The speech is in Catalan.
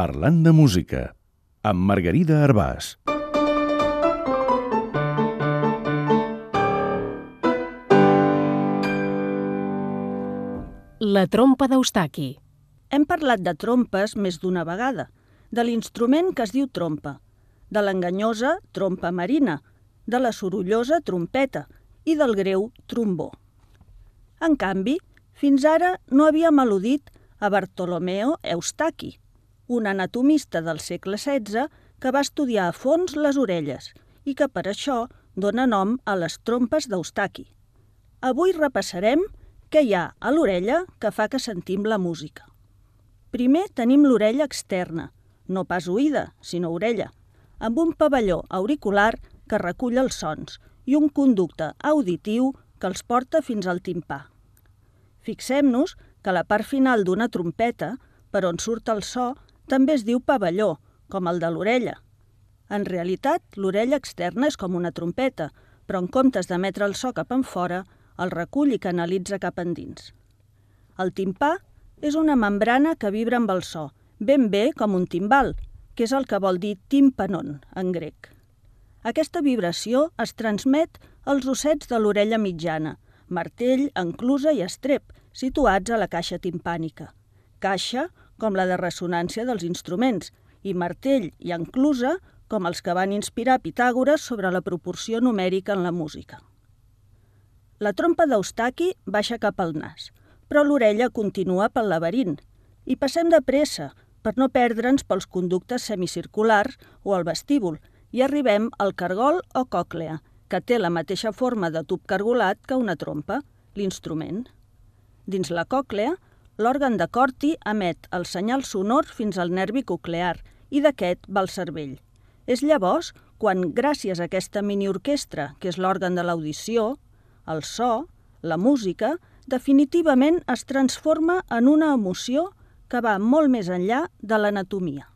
Parlant de música, amb Margarida Arbàs. La trompa d'Eustaqui. Hem parlat de trompes més d'una vegada, de l'instrument que es diu trompa, de l'enganyosa trompa marina, de la sorollosa trompeta i del greu trombó. En canvi, fins ara no havíem al·ludit a Bartolomeo Eustaqui, un anatomista del segle XVI que va estudiar a fons les orelles i que per això dona nom a les trompes d'Eustaqui. Avui repassarem què hi ha a l'orella que fa que sentim la música. Primer tenim l'orella externa, no pas oïda, sinó orella, amb un pavelló auricular que recull els sons i un conducte auditiu que els porta fins al timpà. Fixem-nos que la part final d'una trompeta, per on surt el so, també es diu pavelló, com el de l'orella. En realitat, l'orella externa és com una trompeta, però en comptes d'emetre el so cap enfora, el recull i canalitza cap endins. El timpà és una membrana que vibra amb el so, ben bé com un timbal, que és el que vol dir timpanon en grec. Aquesta vibració es transmet als ossets de l'orella mitjana, martell, enclusa i estrep, situats a la caixa timpànica. Caixa com la de ressonància dels instruments i martell i enclusa com els que van inspirar Pitàgores sobre la proporció numèrica en la música. La trompa d'Eustaqui baixa cap al nas, però l'orella continua pel laberint i passem de pressa per no perdre'ns pels conductes semicirculars o al vestíbul i arribem al cargol o còclea, que té la mateixa forma de tub cargolat que una trompa, l'instrument. Dins la còclea, l'òrgan de Corti emet el senyal sonor fins al nervi coclear i d'aquest va al cervell. És llavors quan, gràcies a aquesta miniorquestra, que és l'òrgan de l'audició, el so, la música, definitivament es transforma en una emoció que va molt més enllà de l'anatomia.